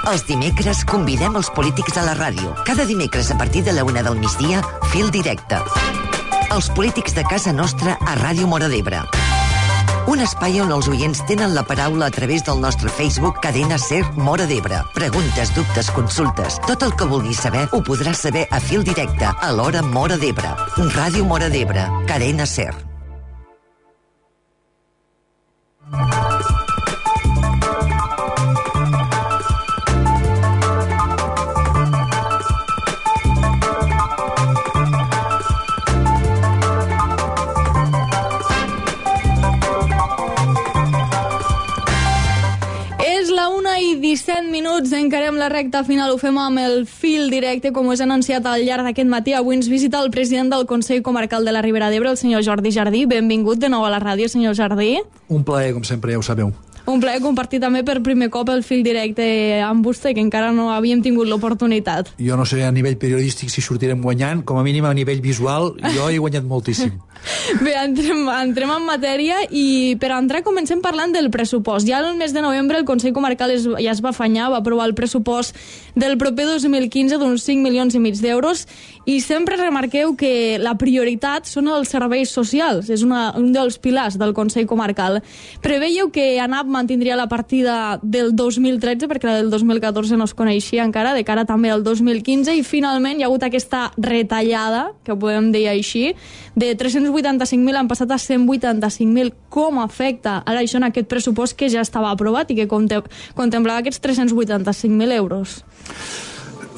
Els dimecres convidem els polítics a la ràdio. Cada dimecres a partir de la 1 del migdia, Fil Directe. Els polítics de casa nostra a Ràdio Móra d'Ebre. Un espai on els oients tenen la paraula a través del nostre Facebook Cadena Ser Móra d'Ebre. Preguntes, dubtes, consultes. Tot el que vulguis saber ho podràs saber a Fil Directe, a l'hora Móra d'Ebre. Ràdio Móra d'Ebre, Cadena Ser. És la 1:17, encarem la recta final, ho fem amb el Fil Directe, com us he anunciat al llarg d'aquest matí. Avui ens visita el president del Consell Comarcal de la Ribera d'Ebre, el senyor Jordi Jardí. Benvingut de nou a la ràdio, senyor Jardí. Un plaer, com sempre, ja ho sabeu. Un plaer compartir també per primer cop el Fil Directe amb vostè, que encara no havíem tingut l'oportunitat. Jo no sé a nivell periodístic si sortirem guanyant, com a mínim a nivell visual jo he guanyat moltíssim. Bé, entrem en matèria i per entrar comencem parlant del pressupost. Ja el mes de novembre el Consell Comarcal ja es va afanyar, va aprovar el pressupost del proper 2015 d'uns 5,5 milions d'euros i sempre remarqueu que la prioritat són els serveis socials, és un dels pilars del Consell Comarcal. Preveieu que ANAP mantindria la partida del 2013, perquè la del 2014 no es coneixia encara, de cara també al 2015, i finalment hi ha hagut aquesta retallada, que ho podem dir així, de 385.000 han passat a 185.000. Com afecta ara això en aquest pressupost que ja estava aprovat i que contemplava aquests 385.000 euros?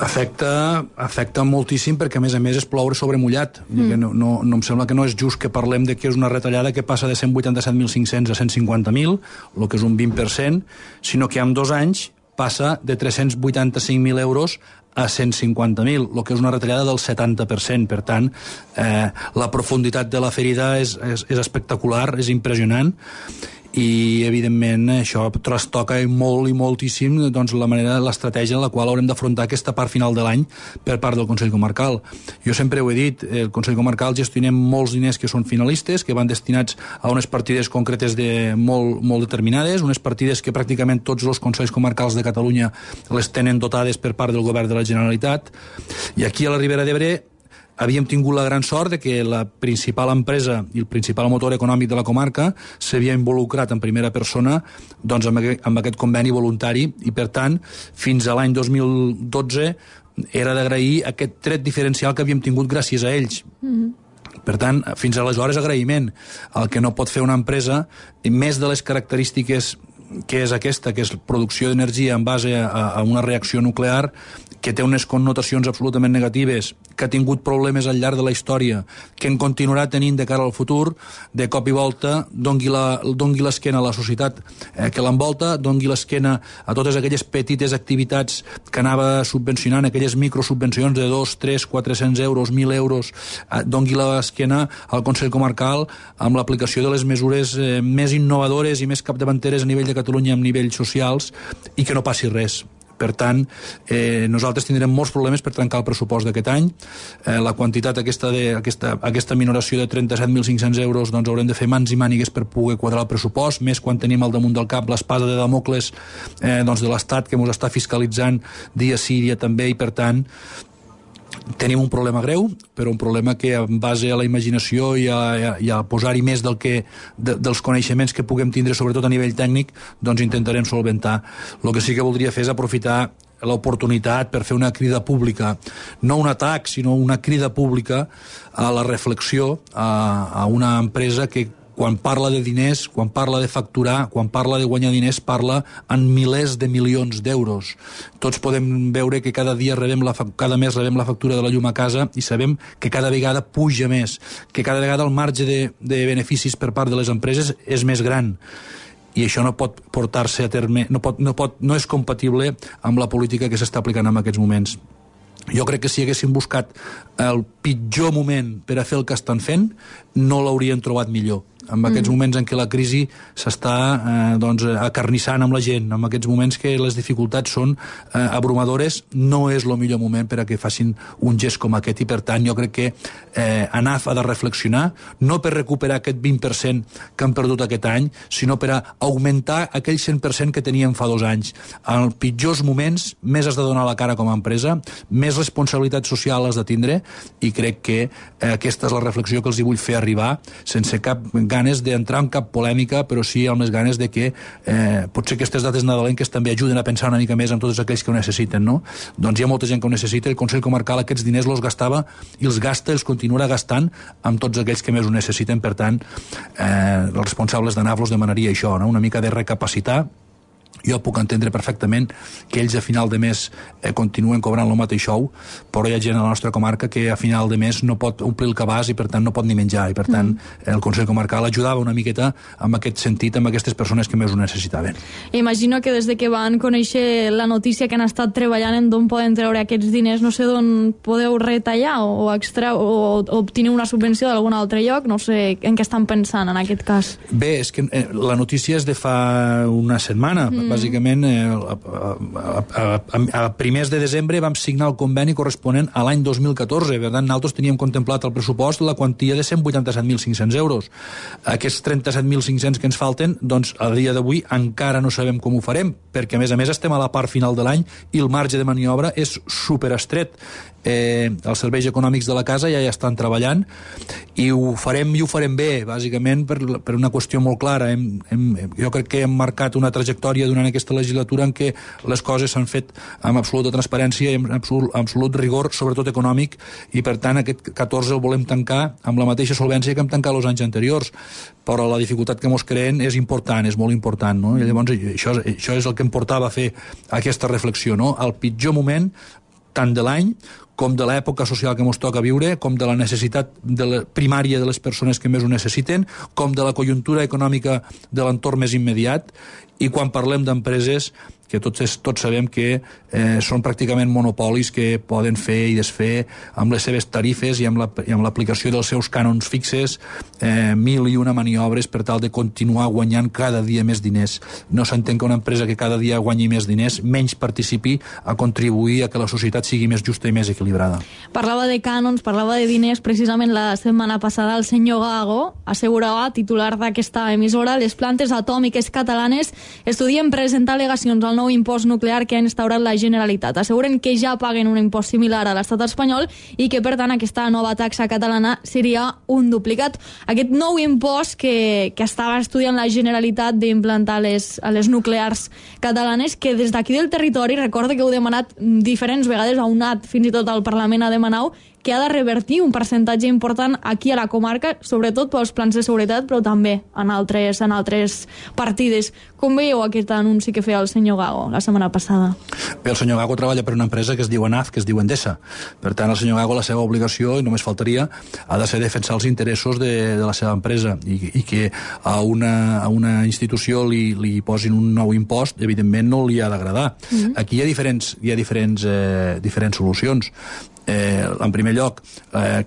Afecta moltíssim perquè a més és ploure sobre mullat. No em sembla que no és just que parlem de que és una retallada que passa de 187.500 a 150.000, el que és un 20%, sinó que en 2 anys passa de 385.000 euros a 150.000, el que és una retallada del 70%. Per tant, la profunditat de la ferida és espectacular, és impressionant, i evidentment això trastoca molt i moltíssim doncs, la manera, l'estratègia en la qual haurem d'afrontar aquesta part final de l'any per part del Consell Comarcal. Jo sempre ho he dit, el Consell Comarcal gestionem molts diners que són finalistes, que van destinats a unes partides concretes molt determinades, unes partides que pràcticament tots els Consells Comarcals de Catalunya les tenen dotades per part del Govern de la Generalitat, i aquí a la Ribera d'Ebre havíem tingut la gran sort de que la principal empresa i el principal motor econòmic de la comarca s'havia involucrat en primera persona doncs, amb aquest conveni voluntari, i per tant fins a l'any 2012 era d'agrair aquest tret diferencial que havíem tingut gràcies a ells. Per tant, fins aleshores agraïment. El que no pot fer una empresa, més de les característiques que és aquesta, que és producció d'energia en base a una reacció nuclear, que té unes connotacions absolutament negatives, que ha tingut problemes al llarg de la història, que en continuarà tenint de cara al futur, de cop i volta dongui l'esquena a la societat que l'envolta, dongui l'esquena a totes aquelles petites activitats que anava subvencionant, aquelles microsubvencions de 2, 3, 400 euros, 1.000 euros, dongui l'esquena al Consell Comarcal amb l'aplicació de les mesures més innovadores i més capdavanteres a nivell de Catalunya, amb nivells socials, i que no passi res. Per tant, nosaltres tindrem molts problemes per trencar el pressupost d'aquest any. La quantitat aquesta minoració de 37.500 euros, doncs haurem de fer mans i mànigues per poder quadrar el pressupost, més quan tenim al damunt del cap l'espasa de Damocles de l'Estat que ens està fiscalitzant dia sí, dia també, i per tant tenim un problema greu, però un problema que en base a la imaginació i a posar-hi més dels coneixements que puguem tindre, sobretot a nivell tècnic, doncs intentarem solventar. El que sí que voldria fer és aprofitar l'oportunitat per fer una crida pública, no un atac, sinó una crida pública a la reflexió a una empresa que quan parla de diners, quan parla de facturar, quan parla de guanyar diners, parla en milers de milions d'euros. Tots podem veure que cada mes rebem la factura de la llum a casa i sabem que cada vegada puja més, que cada vegada el marge de beneficis per part de les empreses és més gran. I això no pot portar-se a terme, no és compatible amb la política que s'està aplicant en aquests moments. Jo crec que si haguessin buscat el pitjor moment per a fer el que estan fent, no l'haurien trobat millor. en aquests moments en què la crisi s'està acarnissant amb la gent, en aquests moments que les dificultats són abrumadores, no és el millor moment per a que facin un gest com aquest, i per tant jo crec que ANAF ha de reflexionar, no per recuperar aquest 20% que han perdut aquest any, sinó per a augmentar aquell 100% que teníem fa 2 anys. En els pitjors moments més has de donar la cara com a empresa, més responsabilitat social has de tindre, i crec que aquesta és la reflexió que els hi vull fer arribar, sense cap ganes d'entrar en cap polèmica, però sí amb les ganes de que potser aquestes dates nadalenques també ajuden a pensar una mica més en tots aquells que ho necessiten, no? Doncs hi ha molta gent que ho necessita, el Consell Comarcal aquests diners els gastava i els gasta, els continuarà gastant amb tots aquells que més ho necessiten. Per tant, els responsables d'ANAF els demanaria això, no? Una mica de recapacitar. Jo puc entendre perfectament que ells a final de mes continuen cobrant el mateix sou, però hi ha gent a la nostra comarca que a final de mes no pot omplir el cabàs i per tant no pot ni menjar, i per tant el Consell Comarcal ajudava una miqueta en aquest sentit amb aquestes persones que més ho necessitaven. Imagino que des de que van conèixer la notícia que han estat treballant en d'on poden treure aquests diners, no sé d'on podeu retallar o obtenir una subvenció d'algun altre lloc, no sé en què estan pensant en aquest cas. Bé, és que la notícia és de fa una setmana. Bàsicament, a primers de desembre vam signar el conveni corresponent a l'any 2014. Per tant, nosaltres teníem contemplat al pressupost la quantia de 187.500 euros. Aquests 37.500 que ens falten, doncs, a dia d'avui encara no sabem com ho farem, perquè, a més, estem a la part final de l'any i el marge de maniobra és superestret. Els serveis econòmics de la casa ja estan treballant i ho farem bé, bàsicament per una qüestió molt clara. Jo crec que hem marcat una trajectòria durant aquesta legislatura en què les coses s'han fet amb absoluta transparència i amb absolut rigor, sobretot econòmic, i per tant aquest 14 el volem tancar amb la mateixa solvència que hem tancat els anys anteriors, però la dificultat que mos creen és important, és molt important, no? I llavors això és el que em portava a fer aquesta reflexió, no? El pitjor moment tant de l'any com de l'època social que ens toca viure, com de la necessitat primària de les persones que més ho necessiten, com de la conjuntura econòmica de l'entorn més immediat, i quan parlem d'empreses que tots sabem que són pràcticament monopolis que poden fer i desfer amb les seves tarifes i amb l'aplicació dels seus cànons fixes, 1.001 maniobres per tal de continuar guanyant cada dia més diners. No s'entén que una empresa que cada dia guanyi més diners menys participi a contribuir a que la societat sigui més justa i més equilibrada. Parlava de cànons, parlava de diners. Precisament la setmana passada el senyor Gago assegurava, titular d'aquesta emissora, les plantes atòmiques catalanes estudien presentar al·legacions al nou impost nuclear que ha instaurat la Generalitat. Asseguren que ja paguen un impost similar a l'estat espanyol i que, per tant, aquesta nova taxa catalana seria un duplicat. Aquest nou impost que estava estudiant la Generalitat d'implantar a les nuclears catalanes, que des d'aquí del territori, recorda que heu demanat diferents vegades, ha unat fins i tot al Parlament a demanar que ha de revertir un percentatge important aquí a la comarca, sobretot pels plans de seguretat, però també en altres partides. Com veieu aquest anunci que feia el senyor Gago la setmana passada? Bé, el senyor Gago treballa per una empresa que es diu ANAF, que es diu Endesa. Per tant, el senyor Gago, la seva obligació, i només faltaria, ha de ser defensar els interessos de la seva empresa, i que a una institució li posin un nou impost, evidentment no li ha d'agradar. Aquí hi ha diferents solucions. En primer lloc,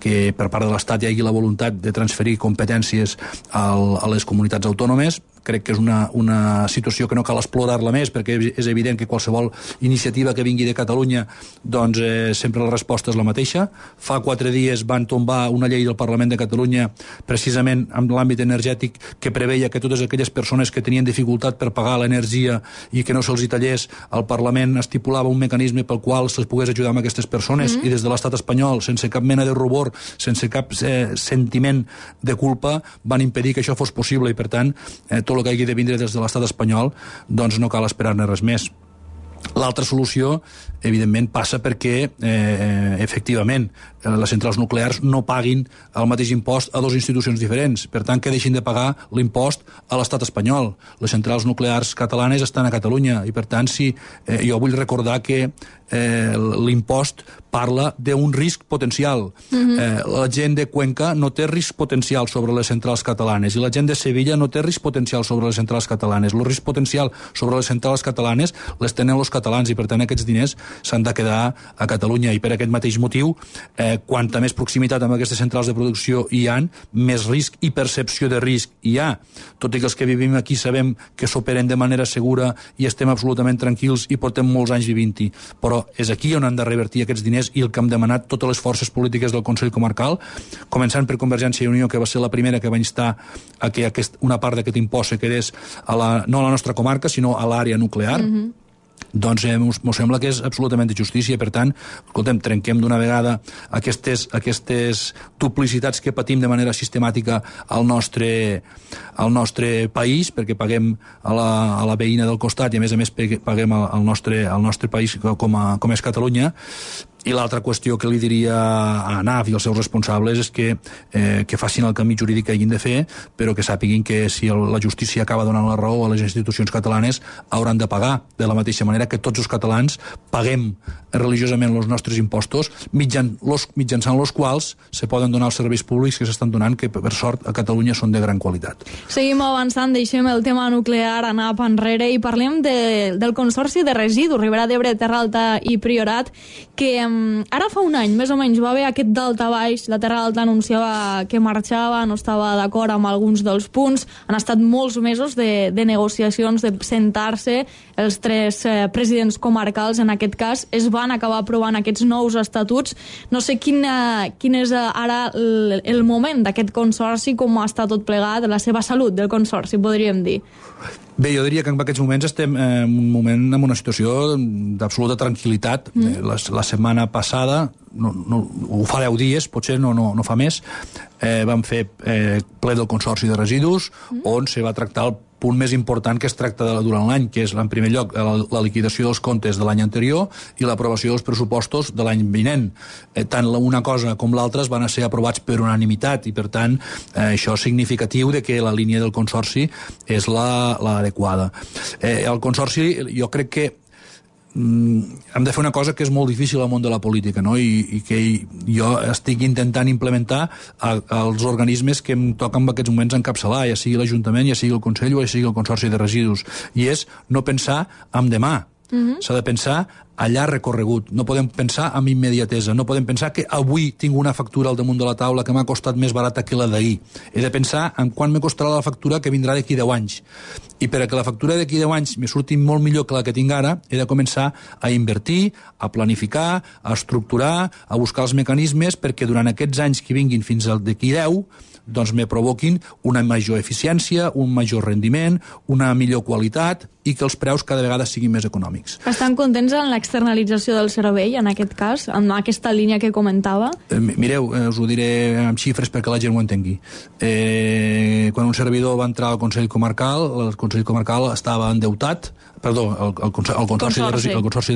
que per part de l'Estat hi hagi la voluntat de transferir competències a les comunitats autònomes. Crec que és una situació que no cal explorar-la més, perquè és evident que qualsevol iniciativa que vingui de Catalunya, doncs sempre la resposta és la mateixa. Fa 4 dies van tombar una llei del Parlament de Catalunya precisament en l'àmbit energètic que preveia que totes aquelles persones que tenien dificultat per pagar l'energia i que no se'ls tallés, el Parlament estipulava un mecanisme pel qual se'ls pogués ajudar amb aquestes persones, i des de l'estat espanyol, sense cap mena de rubor, sense cap sentiment de culpa, van impedir que això fos possible, i per tant tot el que hagi de vindre des de l'estat espanyol, doncs no cal esperar-ne res més. L'altra solució, evidentment, passa perquè, efectivament, les centrals nuclears no paguin el mateix impost a 2 institucions diferents. Per tant, que deixin de pagar l'impost a l'estat espanyol. Les centrals nuclears catalanes estan a Catalunya i, per tant, jo vull recordar que l'impost parla d'un risc potencial. La gent de Cuenca no té risc potencial sobre les centrals catalanes i la gent de Sevilla no té risc potencial sobre les centrals catalanes. El risc potencial sobre les centrals catalanes les tenen els catalans, i per tant aquests diners s'han de quedar a Catalunya, i per aquest mateix motiu, quanta més proximitat amb aquestes centrals de producció hi ha, més risc i percepció de risc hi ha. Tot i que els que vivim aquí sabem que s'operen de manera segura i estem absolutament tranquils i portem molts anys vivint-hi, però és aquí on han de revertir aquests diners i el que hem demanat totes les forces polítiques del Consell Comarcal, començant per Convergència i Unió, que va ser la primera que va instar a que una part d'aquest impost se quedés no a la nostra comarca, sinó a l'àrea nuclear. Doncs m'ho sembla que és absolutament de justícia. Per tant, escoltem, trenquem d'una vegada aquestes duplicitats que patim de manera sistemàtica al nostre país, perquè paguem a la veïna del costat i a més paguem al nostre país com és Catalunya. I l'altra qüestió que li diria a ANAF i als seus responsables és que facin el camí jurídic que hagin de fer, però que sàpiguin que si la justícia acaba donant la raó a les institucions catalanes, hauran de pagar, de la mateixa manera que tots els catalans paguem religiosament els nostres impostos, mitjançant els quals se poden donar els serveis públics que s'estan donant, que per sort a Catalunya són de gran qualitat. Seguim avançant, deixem el tema nuclear, ANAP enrere, i parlem del Consorci de Residus, Ribera d'Ebre, Terra Alta i Priorat, que ara fa un any, més o menys, va haver aquest daltabaix. La Terra Alta anunciava que marxava, no estava d'acord amb alguns dels punts. Han estat molts mesos de negociacions, de sentar-se. Els tres presidents comarcals, en aquest cas, es van acabar aprovant aquests nous estatuts. No sé quin és ara el moment d'aquest consorci, com està tot plegat, la seva salut del consorci, podríem dir. Bé, jo diria que en aquests moments estem en una situació d'absoluta tranquil·litat. La setmana passada, ho fa 10 dies, potser no fa més, vam fer ple del Consorci de Residus, on se va tractar el punt més important que es tracta durant l'any, que és, en primer lloc, la liquidació dels comptes de l'any anterior i l'aprovació dels pressupostos de l'any vinent. Tant una cosa com l'altra van ser aprovats per unanimitat i, per tant, això és significatiu de que la línia del Consorci és l'adequada. El Consorci, jo crec que hem de fer una cosa que és molt difícil al món de la política, no? I que jo estic intentant implementar als organismes que em toquen en aquests moments encapçalar, ja sigui l'Ajuntament, ja sigui el Consell o ja sigui el Consorci de Residus, i és no pensar en demà. S'ha de pensar a llarg recorregut, no podem pensar amb immediatesa, no podem pensar que avui tinc una factura al damunt de la taula que m'ha costat més barata que la d'ahir. He de pensar en quan me costarà la factura que vindrà d'aquí 10 anys. I per a que la factura d'aquí 10 anys me surti molt millor que la que tinc ara, he de començar a invertir, a planificar, a estructurar, a buscar els mecanismes perquè durant aquests anys que vinguin fins al d'aquí 10 doncs me provoquin una major eficiència, un major rendiment, una millor qualitat i que els preus cada vegada siguin més econòmics. Estan contents en l'externalització del servei, en aquest cas, en aquesta línia que comentava? Mireu, us ho diré amb xifres perquè la gent ho entengui. Quan un servidor va entrar al Consell Comarcal, el Consell Comarcal estava endeutat, el Consorci de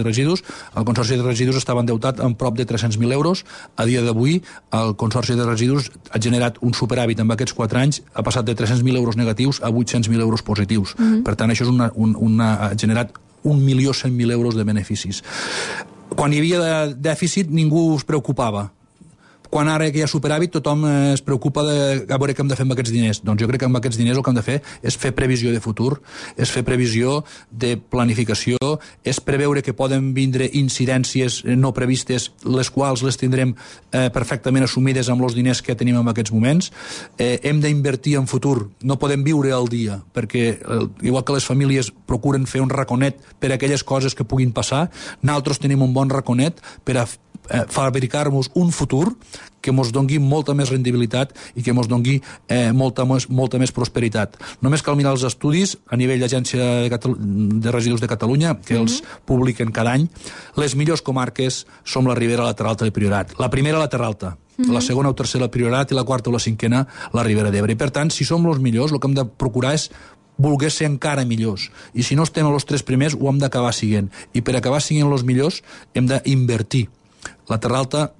Residus, el Consorci de Residus estava endeutat amb prop de 300.000 euros. A dia d'avui, el Consorci de Residus ha generat un superàvit en aquests 4 anys, ha passat de 300.000 euros negatius a 800.000 euros positius. Per tant, això és ha generat 1.100.000 euros de beneficis. Quan hi havia dèficit, ningú es preocupava. Quan ara que hi ha superàvit, tothom es preocupa de a veure què hem de fer amb aquests diners. Doncs jo crec que amb aquests diners el que hem de fer és fer previsió de futur, és fer previsió de planificació, és preveure que poden vindre incidències no previstes, les quals les tindrem perfectament assumides amb els diners que tenim en aquests moments. Hem d'invertir en futur, no podem viure al dia, perquè igual que les famílies procuren fer un raconet per a aquelles coses que puguin passar, nosaltres tenim un bon raconet per a fabricar-nos un futur que ens dongui molta més rendibilitat i que ens dongui molta més prosperitat. Només cal mirar els estudis a nivell d'Agència de Residus de Catalunya, que els publiquen cada any. Les millors comarques som la Ribera, la Terra Alta i el Priorat. La primera, la Terra Alta. La segona o tercera, el Priorat, i la quarta o la cinquena, la Ribera d'Ebre. I per tant, si som els millors, el que hem de procurar és voler ser encara millors. I si no estem a els 3 primers, ho hem d'acabar siguent. I per acabar siguent els millors, hem d'invertir. La Terra Alta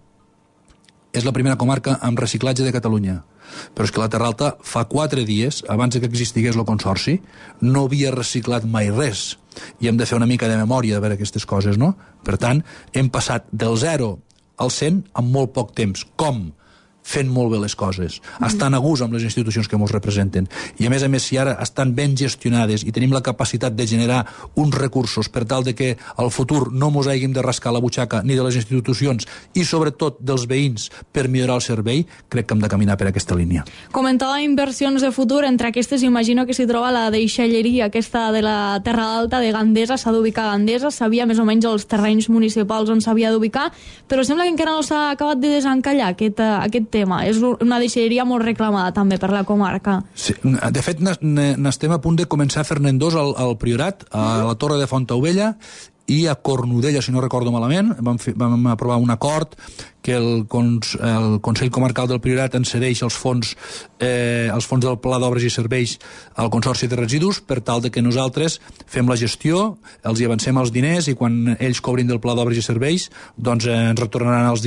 és la primera comarca amb reciclatge de Catalunya. Però és que la Terra Alta fa 4 dies, abans que existigués el Consorci, no havia reciclat mai res. I hem de fer una mica de memòria de veure aquestes coses, no? Per tant, hem passat del 0 al 100 en molt poc temps. Com? fent molt bé les coses, estan a gust amb les institucions que ens representen. I a més, si ara estan ben gestionades i tenim la capacitat de generar uns recursos per tal de que al futur no ens hàgim de rascar la butxaca ni de les institucions i sobretot dels veïns per millorar el servei, crec que hem de caminar per aquesta línia. Comentava inversions de futur, entre aquestes imagino que s'hi troba la deixalleria aquesta de la Terra Alta de Gandesa, s'ha d'ubicar a Gandesa, sabia més o menys els terrenys municipals on s'havia d'ubicar, però sembla que encara no s'ha acabat de desencallar aquest tema. És una deixalleria molt reclamada també per la comarca. Sí, de fet, n'estem a punt de començar a fer-ne dos al Priorat, a la Torre de Fontaubella i a Cornudella, si no recordo malament. Vam aprovar un acord que el Consell Comarcal del Priorat ens cedeix els fons del Pla d'Obres i Serveis al Consorci de Residus per tal de que nosaltres fem la gestió, els hi avancem els diners i quan ells cobrin del Pla d'Obres i Serveis doncs ens retornaran els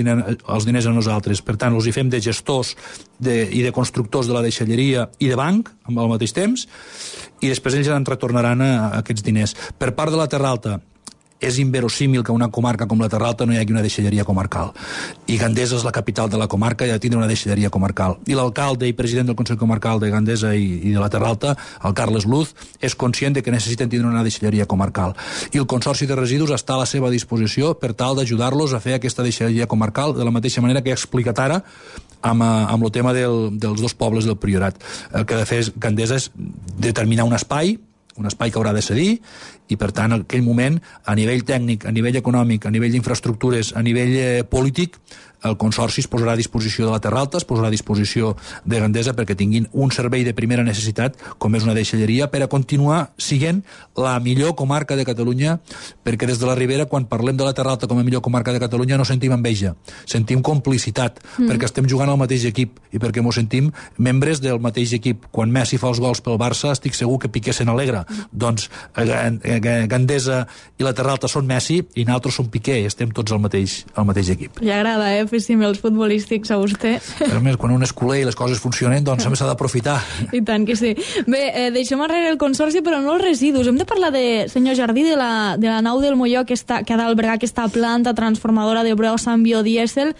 diners a nosaltres. Per tant, els hi fem de gestors i de constructors de la deixalleria i de banc al mateix temps i després ells ens retornaran aquests diners. Per part de la Terra Alta, és inverosímil que una comarca com la Terra Alta no hi hagi una deixalleria comarcal. I Gandesa és la capital de la comarca i ha de tindre una deixalleria comarcal. I l'alcalde i president del Consell Comarcal de Gandesa i de la Terra Alta, el Carles Luz, és conscient de que necessiten tindre una deixalleria comarcal. I el Consorci de Residus està a la seva disposició per tal d'ajudar-los a fer aquesta deixalleria comarcal de la mateixa manera que he explicat ara amb el tema dels dos pobles del Priorat. El que ha de fer Gandesa és determinar un espai que haurà de cedir i, per tant, en aquell moment, a nivell tècnic, a nivell econòmic, a nivell d'infraestructures, a nivell polític, el Consorci es posarà a disposició de la Terra Alta, es posarà a disposició de Gandesa perquè tinguin un servei de primera necessitat, com és una deixalleria, per a continuar sent la millor comarca de Catalunya, perquè des de la Ribera, quan parlem de la Terra Alta com a millor comarca de Catalunya, no sentim enveja, sentim complicitat, perquè estem jugant al mateix equip i perquè ens sentim membres del mateix equip. Quan Messi fa els gols pel Barça, estic segur que Piqué se n'alegra. Doncs Gandesa i la Terra Alta són Messi i nosaltres som Piqué, estem tots al mateix equip. Li agrada, fer símils futbolístics a vostè. A més, quan un és culer i les coses funcionen, doncs s'ha d'aprofitar. I tant que sí. Bé, deixem enrere el Consorci, però no els residus. Hem de parlar, senyor Jardí, de la nau del Molló que ha d'albergar aquesta planta transformadora de brossa amb biodièsel.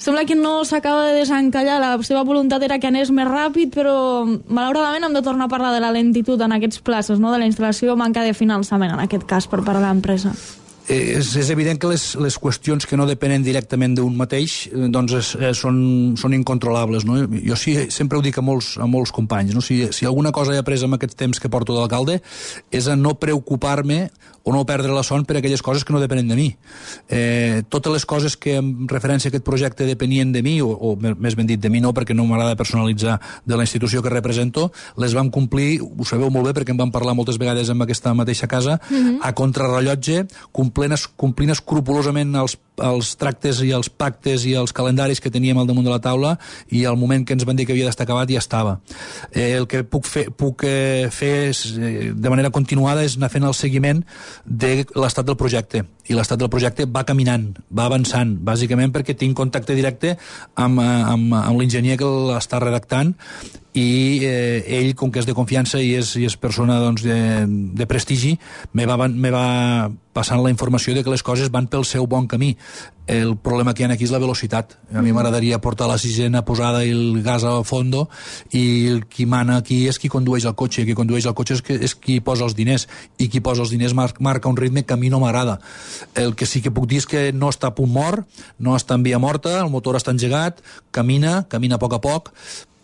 Sembla que no s'acaba de desencallar, la seva voluntat era que anés més ràpid, però malauradament hem de tornar a parlar de la lentitud en aquests plaços, no? De la instal·lació, manca de finançament en aquest cas per part de l'empresa. És evident que les qüestions que no depenen directament d'un mateix doncs són incontrolables, no? Jo sempre ho dic a molts companys, no? Si alguna cosa he après en aquest temps que porto d'alcalde és a no preocupar-me o no perdre la son per aquelles coses que no depenen de mi. Totes les coses que en referència a aquest projecte depenien de mi, o més ben dit de mi no, perquè no m'agrada personalitzar de la institució que represento, les vam complir, ho sabeu molt bé perquè en vam parlar moltes vegades en aquesta mateixa casa, a contrarrellotge, complint escrupolosament els tractes i els pactes i els calendaris que teníem al damunt de la taula i al moment que ens van dir que havia d'estar acabat ja estava. El que puc fer de manera continuada és anar fent el seguiment de l'estat del projecte i l'estat del projecte va caminant, va avançant, bàsicament perquè tinc contacte directe amb l'enginyer que l'està redactant i ell, com que és de confiança i és persona doncs, de prestigi, me va passant la informació de que les coses van pel seu bon camí. El problema que hi ha aquí és la velocitat. A mi m'agradaria portar la sisena posada i el gas a fondo i qui mana aquí és qui condueix el cotxe, qui condueix el cotxe és qui posa els diners i qui posa els diners marca un ritme que a mi no m'agrada. El que sí que puc dir és que no està a punt mort, no està en via morta, el motor està engegat, camina a poc a poc,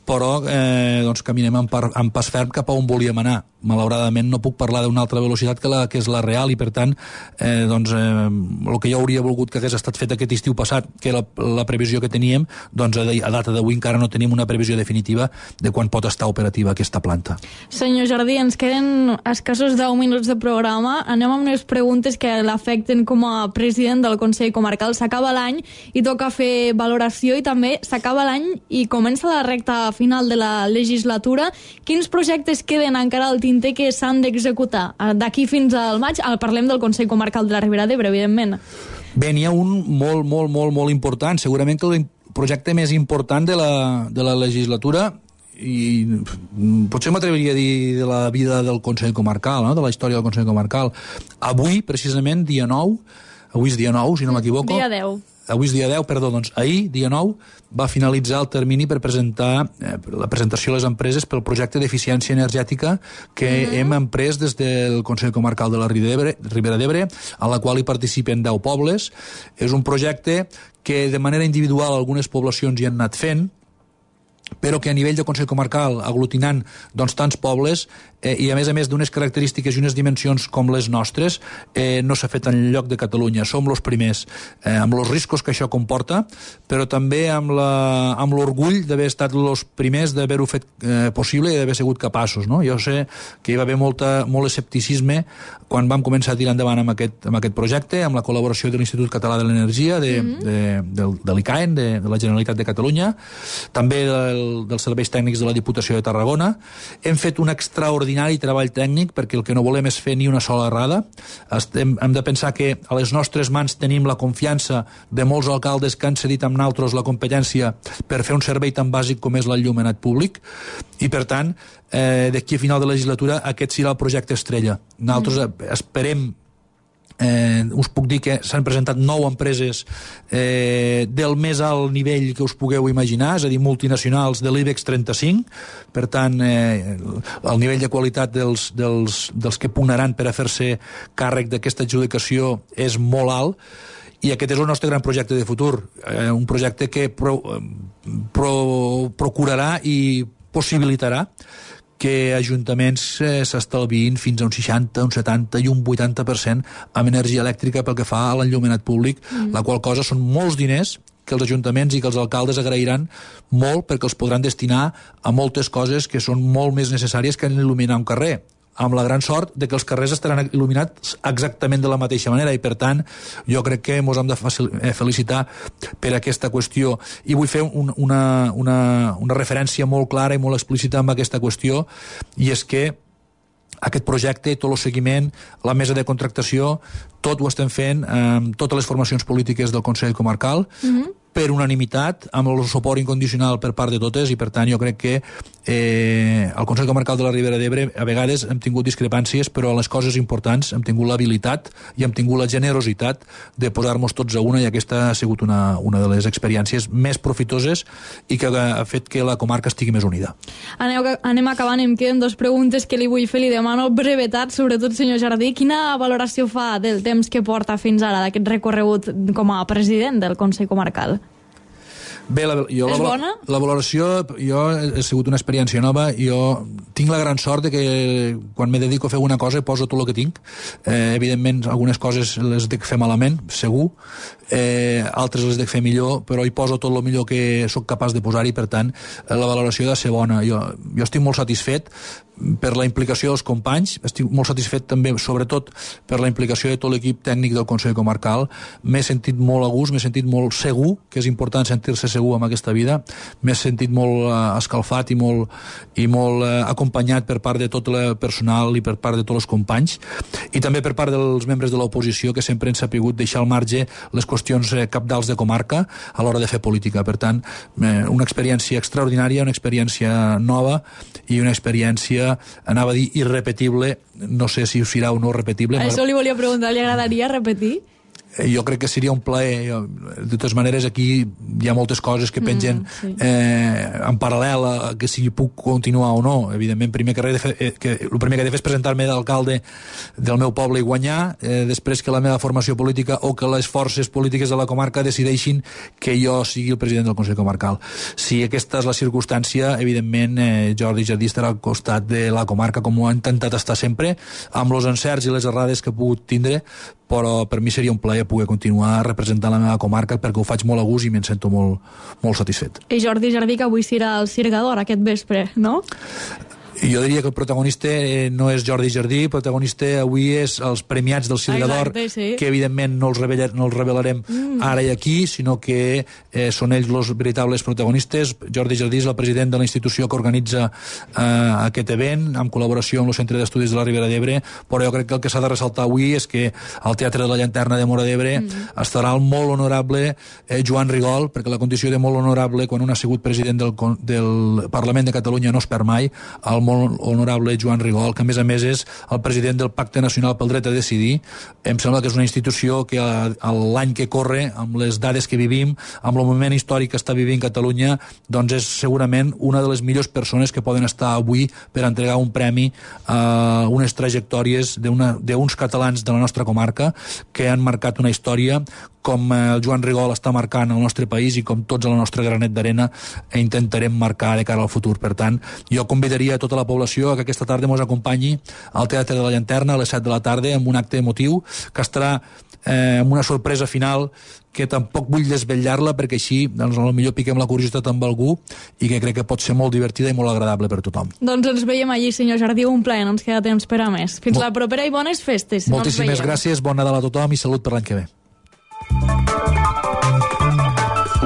però doncs caminem amb pas ferm cap a on volíem anar. Malauradament no puc parlar d'una altra velocitat que és la real i per tant doncs el que jo hauria volgut que hagués estat fet aquest estiu passat, que era la previsió que teníem, doncs a data d'avui encara no tenim una previsió definitiva de quan pot estar operativa aquesta planta. Senyor Jardí, ens queden escassos 10 minuts de programa. Anem amb unes preguntes que l'afecten com a president del Consell Comarcal. S'acaba l'any i toca fer valoració i també s'acaba l'any i comença la recta final de la legislatura. Quins projectes queden encara al tinter que s'han d'executar? D'aquí fins al maig, parlem del Consell Comarcal de la Ribera d'Ebre, evidentment. Bé, n'hi ha un molt important, segurament que el projecte més important de la legislatura i potser m'atreviria a dir de la vida del Consell Comarcal, no? De la història del Consell Comarcal. Avui, precisament, dia 9, avui és dia 9, si no m'equivoco. Dia 10. avui és dia 10, perdó, doncs ahir, dia 9, va finalitzar el termini per presentar la presentació a les empreses pel projecte d'eficiència energètica que hem emprès des del Consell Comarcal de la Ribera d'Ebre, a la qual hi participen 10 pobles. És un projecte que de manera individual algunes poblacions hi han anat fent, però que a nivell de Consell Comarcal, aglutinant doncs, tants pobles, i a més d'unes característiques i unes dimensions com les nostres, no s'ha fet enlloc de Catalunya. Som els primers, amb els riscos que això comporta, però també amb l'orgull d'haver estat els primers, d'haver-ho fet possible i d'haver sigut capaços. No? Jo sé que hi va haver molt escepticisme quan vam començar a tirar endavant amb aquest projecte, amb la col·laboració de l'Institut Català de l'Energia, de l'ICAEN, de la Generalitat de Catalunya, també dels serveis tècnics de la Diputació de Tarragona. Hem fet un extraordinari treball tècnic perquè el que no volem és fer ni una sola errada. Hem de pensar que a les nostres mans tenim la confiança de molts alcaldes que han cedit amb nosaltres la competència per fer un servei tan bàsic com és l'enllumenat públic, i per tant d'aquí a final de legislatura aquest serà el projecte estrella. Nosaltres esperem, us puc dir que s'han presentat 9 empreses del més alt nivell que us pugueu imaginar, és a dir, multinacionals de l'IBEX 35, per tant el nivell de qualitat dels que pugnaran per a fer-se càrrec d'aquesta adjudicació és molt alt, i aquest és el nostre gran projecte de futur, un projecte que procurarà i possibilitarà que ajuntaments s'estalviïn fins a un 60, un 70 i un 80% amb energia elèctrica pel que fa a l'enllumenat públic, la qual cosa són molts diners que els ajuntaments i que els alcaldes agrairan molt perquè els podran destinar a moltes coses que són molt més necessàries que il·luminar un carrer, amb la gran sort de que els carrers estaran il·luminats exactament de la mateixa manera, i per tant jo crec que ens hem de felicitar per aquesta qüestió. I vull fer una referència molt clara i molt explícita amb aquesta qüestió, i és que aquest projecte, tot el seguiment, la mesa de contractació, tot ho estem fent amb totes les formacions polítiques del Consell Comarcal, per unanimitat, amb el suport incondicional per part de totes, i per tant jo crec que el Consell Comarcal de la Ribera d'Ebre a vegades hem tingut discrepàncies, però en les coses importants hem tingut l'habilitat i hem tingut la generositat de posar-nos tots a una, i aquesta ha sigut una de les experiències més profitoses i que ha fet que la comarca estigui més unida. Anem acabant, em queden 2 preguntes que li vull fer, li demano brevetat, sobretot senyor Jardí. Quina valoració fa del temps que porta fins ara d'aquest recorregut com a president del Consell Comarcal? Bé, és bona? La valoració, jo ha sigut una experiència nova. Jo tinc la gran sort de que quan me dedico a fer alguna cosa poso tot el que tinc. Evidentment algunes coses les dic fer malament, segur, altres les dic fer millor, però hi poso tot el millor que sóc capaç de posar-hi. Per tant la valoració ha de ser bona. Jo estic molt satisfet per la implicació dels companys, estic molt satisfet també sobretot per la implicació de tot l'equip tècnic del Consell Comarcal. M'he sentit molt a gust, m'he sentit molt segur, que és important sentir-se segur en aquesta vida, m'he sentit molt escalfat i molt acompanyat per part de tot el personal i per part de tots els companys, i també per part dels membres de l'oposició, que sempre han sapigut deixar al marge les qüestions cabdals de comarca a l'hora de fer política. Per tant, una experiència extraordinària, una experiència nova i una experiència, anava a dir irrepetible, no sé si serà o no repetible. Això li volia preguntar, li agradaria repetir? Jo crec que seria un plaer. De totes maneres, aquí hi ha moltes coses que pengen en paral·lel a que si puc continuar o no. Evidentment, el primer que he de fer és presentar-me d'alcalde del meu poble i guanyar, després que la meva formació política o que les forces polítiques de la comarca decideixin que jo sigui el president del Consell Comarcal. Si aquesta és la circumstància, evidentment Jordi Jardí estarà al costat de la comarca, com ho ha intentat estar sempre, amb els encerts i les errades que he pogut tindre, però per mi seria un plaer poder continuar representant la meva comarca, perquè ho faig molt a gust i me'n sento molt satisfet. I Jordi Jardí, que avui serà el Cirgador aquest vespre, no? Jo diria que el protagonista no és Jordi Jardí, el protagonista avui és els premiats del Cirgador, que evidentment no els revelarem ara i aquí, sinó que són ells els veritables protagonistes. Jordi Jardí és el president de la institució que organitza aquest event, en col·laboració amb el Centre d'Estudis de la Ribera d'Ebre, però jo crec que el que s'ha de ressaltar avui és que al Teatre de la Llanterna de Móra d'Ebre estarà el molt honorable Joan Rigol, perquè la condició de molt honorable, quan un ha sigut president del Parlament de Catalunya, no es perd mai. El molt honorable Joan Rigol, que a més és el president del Pacte Nacional pel Dret a Decidir. Em sembla que és una institució que l'any que corre, amb les dades que vivim, amb el moment històric que està vivint Catalunya, doncs és segurament una de les millors persones que poden estar avui per entregar un premi a unes trajectòries d'uns catalans de la nostra comarca que han marcat una història com el Joan Rigol està marcant el nostre país i com tots a la nostra granet d'arena intentarem marcar de cara al futur. Per tant, jo convidaria a tota la població que aquesta tarda ens acompanyi al Teatre de la Llanterna a les 7 de la tarda amb un acte emotiu que estarà amb una sorpresa final que tampoc vull desvetllar-la perquè així doncs, potser piquem la curiositat amb algú i que crec que pot ser molt divertida i molt agradable per tothom. Doncs ens veiem allí, senyor Jardí, un plaer, no ens queda temps per a més. Fins la propera i bones festes. Moltíssimes gràcies, bon Nadal a tothom i salut per l'any que ve.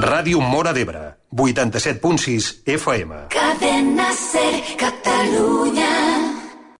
Ràdio Móra d'Ebre, 87.6 FM. Cadena Ser, Catalunya.